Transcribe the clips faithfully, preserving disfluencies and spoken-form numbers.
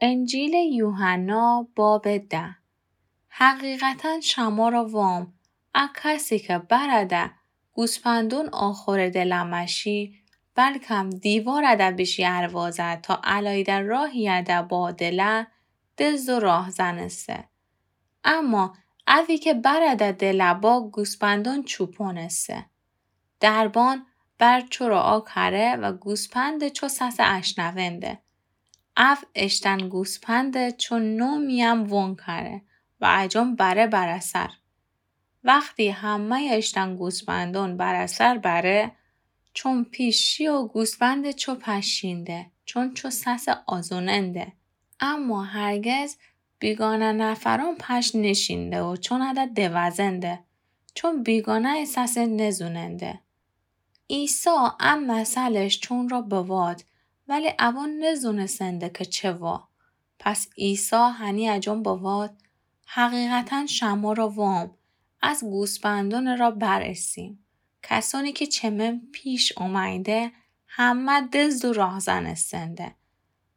انجیلٚ یوحنا بابٚ ده. حقیقتاً شمره وام، ا کسی که برده گوسپندون آخورٚ دل مشی، بلکم دیوارده بیشی اروازه تا الایده راهیده با دله، دزد و راهزنسه. اما اوی که برده دله با گوسپندون چوپونسه. دربان بر چورا آ کره و گوسپندٚ چو سسه اشنونده. او اشتن گوسپندٚ چو نومی‌یم وون کره و اجون بره برسر. وختی همه‌یٚ اشتن گوسپندون برسر بره، چون پیش شی و گوسپندٚ چو پشینده، چون چو سسه آزوننده. اما هرگز بیگانه نفرون پش نشینده و چون اده دوزنده، چون بیگانه‌یٚ سسه نزوننده. عیسی ا مثلش چون را بوات، ولی اوون نزونسنده که چه وا. پس عیسی هنی اجون بوات، حقیقتاً شمره وام، از گوسپندونٚ را برسیم. کسونی که چه من پیش اومینده، همه دزد و راهزنسنده.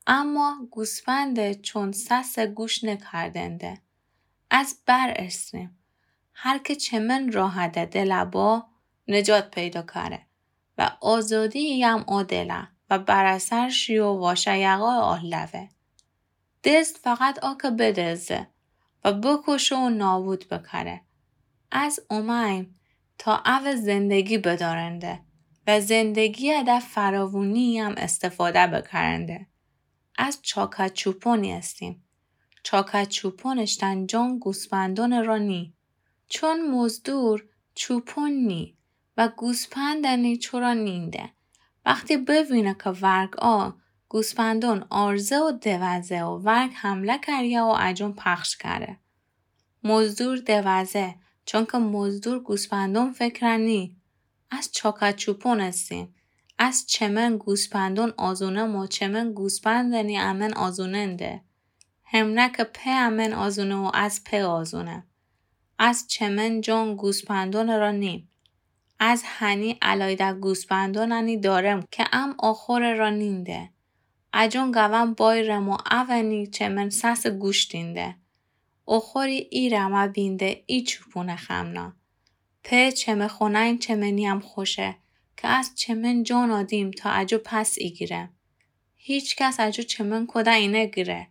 اما گوسپندٚ چون سسه گوش نکردنده. از بر اسریم. هر که چه من راهده دله با، نجات پیدا کره و آزادی‌یم او دله و برسر شی و واشه یقا او لوه. دزد فقط آ که بدزده و بکشه و نابود بکره. از اومیم تا او زندگی بدارنده و زندگی‌یه ده فراوونی‌یم استفاده بکرنده. از چاکه چوپونی استیم. چاکه چوپون اشتن جان گوسپندونٚ را نی. چون مزدور چوپون نی و گوسپندنی چورا نینده. وختی بوینه که ورگ آ گوسپندون آرزه و دوزه و ورگ حمله کریه و اجون پخش کره. مزدور دوزه، چونکه مزدور گوسپندون فکره نی. از چاکه چوپون استیم. از چه من گوسپندون آزونم و چه من گوسپندنی امن آزوننده. همنه که په امن آزونه و از په آزونه. از چه من جان گوسپندونٚ را نیم. از هنی الایده گوسپندوننی دارم که ام آخورٚ را نینده. اجون گوم بایرم و اونی چه من سسه گوش دینده. آخوری ایرم ا بینده ای چوپونٚ خمنا. په چمه خونین چمنیم خوشه که از چمن جان آدیم تا اجو پس ایگیرم. هیچ کس اجو چمن کوده اینه گیره.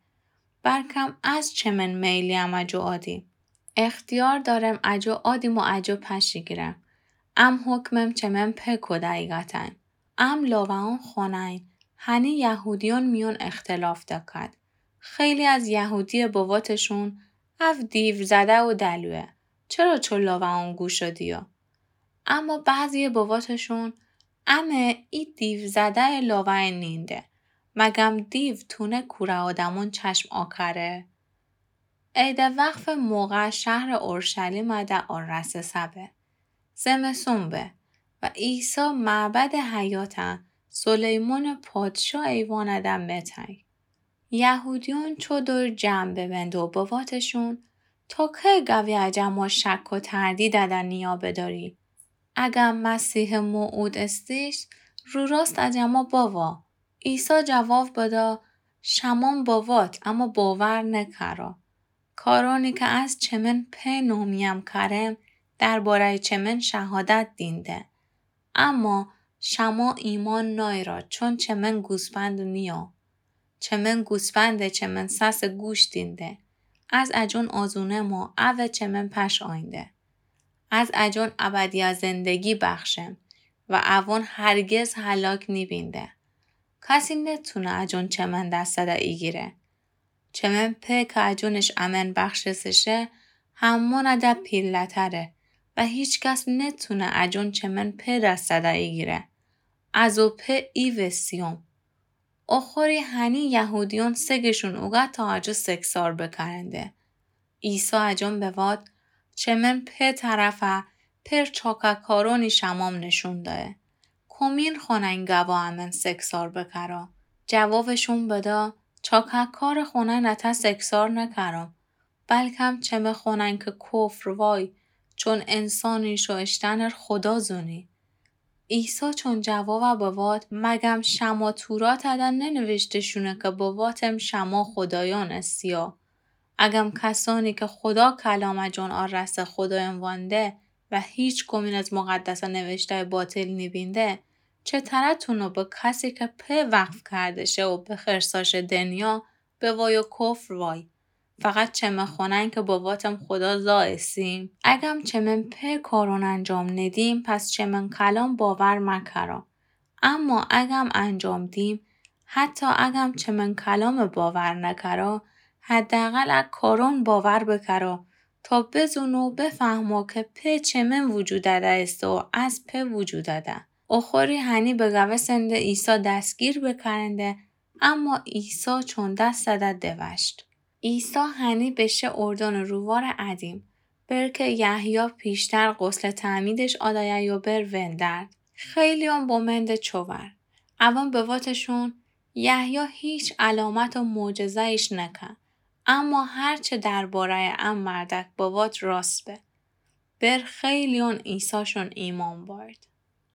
بلکم از چمن میلیم اجو آدیم. اختیار دارم اجو آدیم و اجو پش ایگیرم. ام حکمم چمن په کوده ایگتن. ام لاوئون خونین، هنی یهودیون میون اختلاف دکد. خیلی از یهودی بواتشون، او دیو زده و دلوه. چرا چو لاوئون گوش دیو؟ اما بعضی بواتشون، امه ای دیو زده لاوئ نینده. مگم دیو تونه کوره آدمون چشم آکره؟ عید وقف موقع شهر اورشلیم ده آرسه سبه. زمسون به و عیسی معبد حیاته سلیمان پادشاه ایوان ده متنگ. یهودیون چو دور جمع ببند و بواتشون، تا کی گوی اجه ما شک و تردید ده نیا بداری؟ اگه مسیح موعود استیش، رو راست اجه ما بوا. عیسی جواب بدا، شمام بوات، اما باور نکرا. کارانی که از چمن په نومیم کرم، دربارهٔ چمن شهادت دینده. اما شما ایمان نایرا، چون چمن گوسپند نیا. چمن گوسپنده، چمن سس گوش دینده. از اجون آزونم و او چمن پش آینده. از اجون ابدی زندگی بخشم و اوان هرگز هلاک نیبینده. کسی نتونه اجون چمن دسته ایگیره. چمن په که اجونش امن بخشسه شه، همانه ده پیله‌تره و هیچ کس نتونه اجون چمن په دسته ایگیره. از او په ایوسیوم. اوخوری هنی یهودیون سگشون اوگه تا اجو سگسار بکرنده. عیسی اجون بوات، چمن په طرفه، پر چاکه کارونی شمام نشون دایه. کومین خونین گوا امن سگسار بکرا؟ جوابشون بدا، چاکه کار خونین اته سگسار نکرم، بلکم چمه خونین که کفر وای، چون انسانی شو اشتنر خدا زونی. عیسی چون جواب بوات: مگم شمه توراتٚ دن ننوشته شونه کی بواتم شمه خودایأن اسیا؟ اگم کسأنی کی خودا کلامٚ جون آراسته خودایأن وأنده و هیچ کومین از مقدسٚ نوشته‌یٚ باطل نیبینده، چتره تونو به کسی کی په وقف کرده شه و به خرسا شه دنیا بوای و کفر وای؟ فقط چمه خوأنن کی بواتم خودا زا ایسیم؟ اگم چمن په کارون انجام ندیم، پس چمن کلام باور مکرا. اما اگم انجام دیم، حتی اگم چمن کلام باور نکرا، حداقل ا کارون باور بکرا، تا بزونو بفهمو کی په چمن وجود دأده ایسه و از په وجود دأده. اوخوری هنی بگوسنده عیسی دستگیر بکرنده، اما عیسی چون دس دأده دوشت. عیسی هنی بشه اردنٚ رووارٚ ادیم، بر کی یحیی پیشتر غسلٚ تعمیدش آدایه یو بر وندرد. خیلیون بمنده چوور. اون بواتشون: یحیی هیچ علامت و معجزه‌یش نکه، اما هر چه درباره‌یٚ ا مردک بوات راست به. بر خیلیون عیساشون ایمأن بأرد.